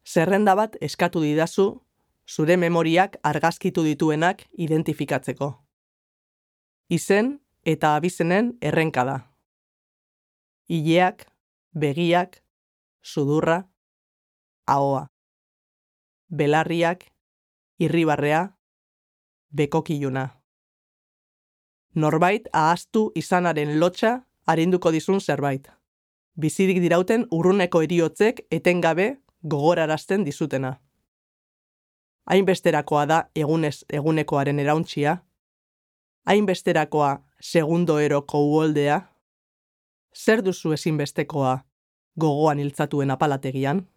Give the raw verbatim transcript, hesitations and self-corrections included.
Zerrenda bat eskatu didazu, zure memoriak argazkitu dituenak identifikatzeko. Izen eta abizenen errenka da. Ileak, begiak, sudurra, ahoa. Belarriak, irribarrea, bekokiluna. Norbait ahaztu izanaren lotxa arinduko dizun zerbait. Bizirik dirauten urruneko heriotzek etengabe gogorarazten dizutena. Hainbesterakoa da egunez egunekoaren erauntxia, hainbesterakoa segundoeroko uholdea, zer duzu ezinbestekoa gogoan iltzatuen apalategian?